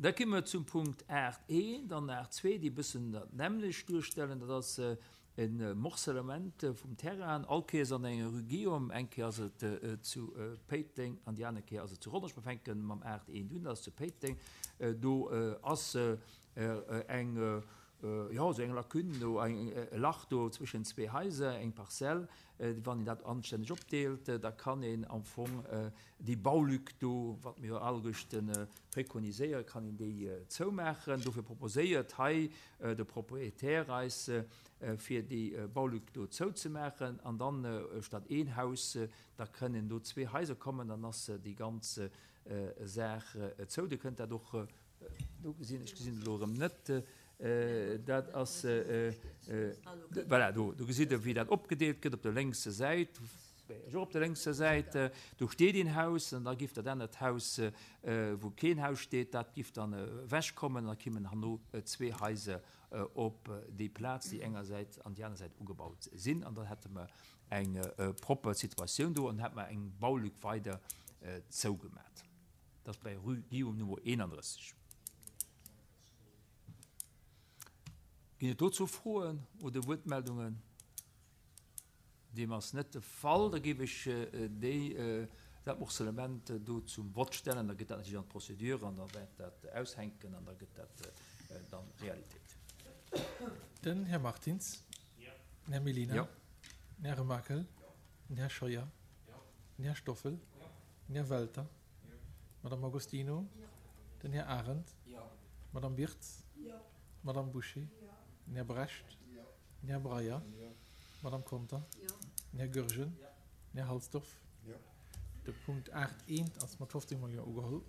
Da komme mer zum Punkt 8 eent an 8 zwee, déi e bëssen dat nämmlecht duerstellen. Dat ass e Morcellement vum Terrain, all Kéiers an enger Rue Guillaume. Eng Kéier ass et zu Péiteng an déi aner Kéier ass et zu Rodange. Mer fänke mam 8 eent un, dat ass zu Péiteng. Do ass eng, jo, esou eng Lacune do, e Lach do zwëschen zwee Haiser, eng Parzell. Wann een dat anstänneg opdeelt, da kann een am Fong déi Baulück do, wat mir jo alleguerten preconiséieren, kann een déi zoumaachen. Dofir proposéiert hei de Propriétaire eis, fir déi Baulück do zouzemaachen an dann statt een Haus, da kënnen do zwee Haiser kommen, dann ass déi ganz Saach zou. Dir kënnt dat och Do gesinn, ech gesinn et elo erëm net, dat ass, voilà, do, do gesitt Der, wéi dat opgedeelt gëtt op der lénkser Säit, ech och op der lénkser Säit, do steet een Haus an da giff dat anert Haus, wou keen Haus steet, dat giff dann ewechkommen an da kimmen herno zwee Haiser op déi Plaz, déi engersäits an déi aner Säit ugebaut sinn an dann hätte mer eng propper Situatioun do an hätte mer eng Baulück weider zougemat. Dat ass bei Rue Guillaume Nummer 31. Ginn et dozou Froen oder Wuertmeldungen? Deem ass net de Fall. Da géif ech déi, dat Morcellement do zum Vott stellen. Da gëtt dat natierlech an d'Procédure an da wäert dat aushänken an da gëtt dat dann Realitéit. Den Här Martins. Den Här Mellina. Den Här Remakel. Den Här Scheuer. Den Här Stoffel. Den Här Welter. D'Madame Agostino. Den Här Arendt. D'Madame Birtz. D'Madame Bouché. Den Här Brecht. Den Här Breyer. D'Madame Conter. Den Här Goergen. Den Här Halsdorf. De Punkt 8 eent ass mat 15 mol Jo ugeholl.